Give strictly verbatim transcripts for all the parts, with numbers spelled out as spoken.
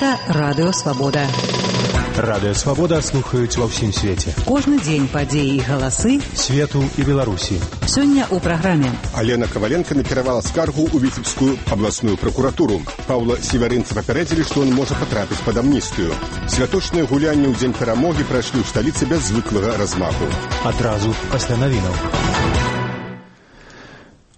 Гэта Радыё Свабода. Радыё Свабода слухаюць ва ўсім свеце. Кожны дзень падзеі і галасы свету і Беларусі. Сёння ў праграме. Алена Коваленко накіравала скаргу ў Віцебскую абласную пракуратуру. Паўла Севарынца папярэдзілі, што ён можа патрапіць пад амністыю. Святочныя гулянні ў дзень перамогі прайшлі ў сталіцы без звыклага размаху. Адразу пасля навінаў.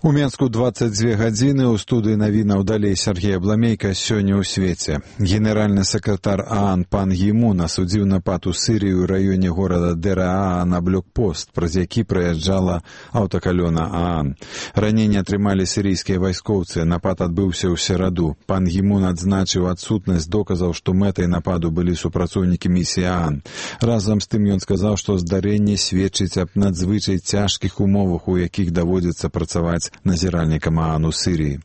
У Менску дваццаць дзве гадзіны, у студыі навінаў далей Сергей Абламейка. Сёння ў свеце. Генеральны сакратар ААН пан Гі Мун асудзіў напад у Сірыі ў раёне горада Дер-Аа на блокпост, праз які праязджала аўтакалёна ААН. Раненні атрымалі сірыйскія вайскоўцы. Напад адбыўся ў сераду. Пан Гі Мун адзначыў адсутнасць доказаў, што мэтай нападу былі супрацоўнікі місіі ААН. Разам з тым ён сказаў, што здарэнне сведчыць аб надзвычай цяжкіх умовах, у якіх даводзіцца працаваць назіральнікам ААН у Сірыі.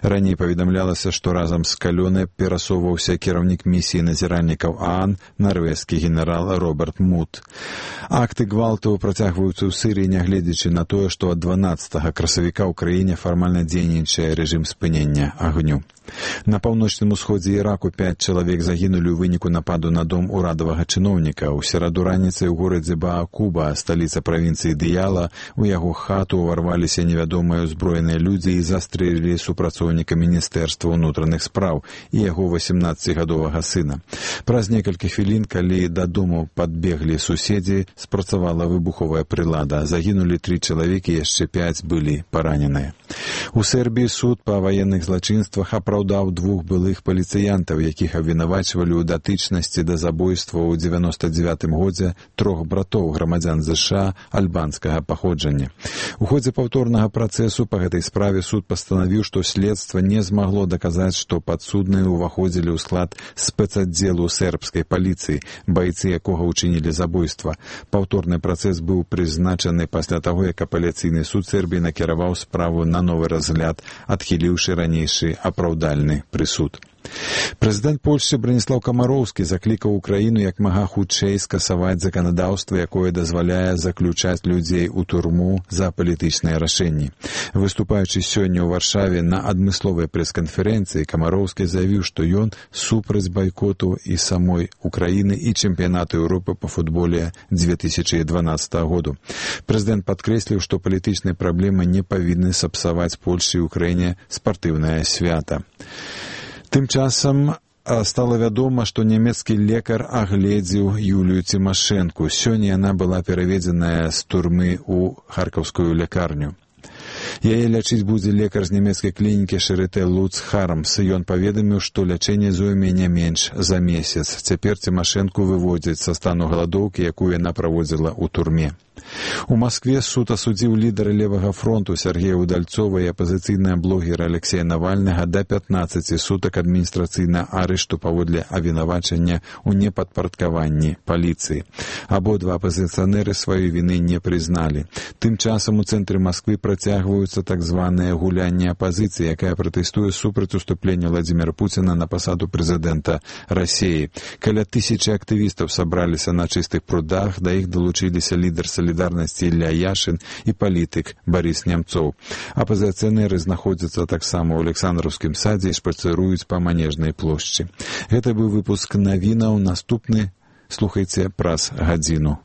Раней паведамлялася, што разам з калёнай перасоўваўся кіраўнік місіі назіральнікаў ААН, нарвежскі генерал Роберт Мут. Акты гвалту працягваюцца ў Сірыі, нягледзячы на тое, што ад дванаццатага красавіка ў краіне фармальна дзейнічае рэжым спынення агню. На паўночным усходзе Іраку пяць чалавек загінулі ў выніку нападу на дом урадавага чыноўніка. У сераду раніцай у горадзе Баакуба, сталіца правінцыі Дыяла, у яго хату ўварваліся невядомыя ўзброеныя людзі і застрэлілі супрацоўніка міністэрства ўнутраных спраў і яго васемнаццацігадовага сына. Праз некалькі хвілін, калі дадому падбеглі суседзі, спрацавала выбуховая прылада. Загінулі тры чалавекі, яшчэ пяць былі параненыя. У Сербіі суд па ваенных злачынствах апраўдаў двух былых паліцыянтаў, якіх абвінавачвалі ў датычнасці да забойства ў дзевяноста дзевятым годзе трох братоў грамадзян ЗША альбанскага паходжання. У ходзе паўторнага працэсу па гэтай справе суд пастанавіў, што следства не змагло даказаць, што падсудныя ўваходзілі ў склад спецаддзелу сербскай паліцыі, байцы якога ўчынілі забойства. Паўторны працэс быў прызначаны пасля таго, як апеляцыйны суд Сербіі накіраваў справу на новы разгляд, адхіліўшы ранейшы апраўдальны прысуд. Прэзідэнт Польшчы Браніслаў Камароўскі заклікаў Украіну як мага хутчэй скасаваць заканадаўства, якое дазваляе заключаць людзей у турму за палітычныя рашэнні. Выступаючы сёння ў Варшаве на адмысловай прэс-канферэнцыі, Камароўскі заявіў, што ён супраць байкоту і самой Украіны і чэмпіянату Еўропы па футболе дзве тысячы дванаццатага году. Прэзідэнт падкрэсліў, што палітычныя праблемы не павінны сапсаваць Польшчы і Украіне спартыўнае свята. Тым часам стала вядома, што нямецкі лекар агледзеў Юлію Цімашэнку. Сёння яна была пераведзеная з турмы ў харкаўскую лякарню. Яе лячыць будзе лекар з нямецкай клінікі Шарытэ Луц Хармс. Ён паведаміў, што лячэнне зойме не менш за месяц. Цяпер Цімашэнку выводзяць са стану галадоўкі, якую яна праводзіла ў турме. У Маскве суд асудзіў лідара левага фронту Сергея Удальцова і апазіцыйнага блогера Алексея Навальнага да пятнаццаці сутак адміністрацыйнага арышту паводле абвінавачання ў непадпарадкаванні паліцыі. Абодва апазіцыянеры сваёй віны не прызналі. Тым часам у цэнтры Масквы працягваюцца так званыя гулянні апазіцыі, якая пратэстуе супраць уступлення Владзіміра Пуціна на пасаду прэзідэнта Расіі. Каля тысячы актывістаў сабраліся на чыстых прудах, да іх далучыліся лідар Салідарнасці Ілля Яшын і палітык Барыс Нямцоў. Апазіцыянеры знаходзяцца таксама ў Александраўскім садзе і шпацыруюць па Манежнай плошчы. Гэта быў выпуск навінаў. Наступны слухайце праз гадзіну.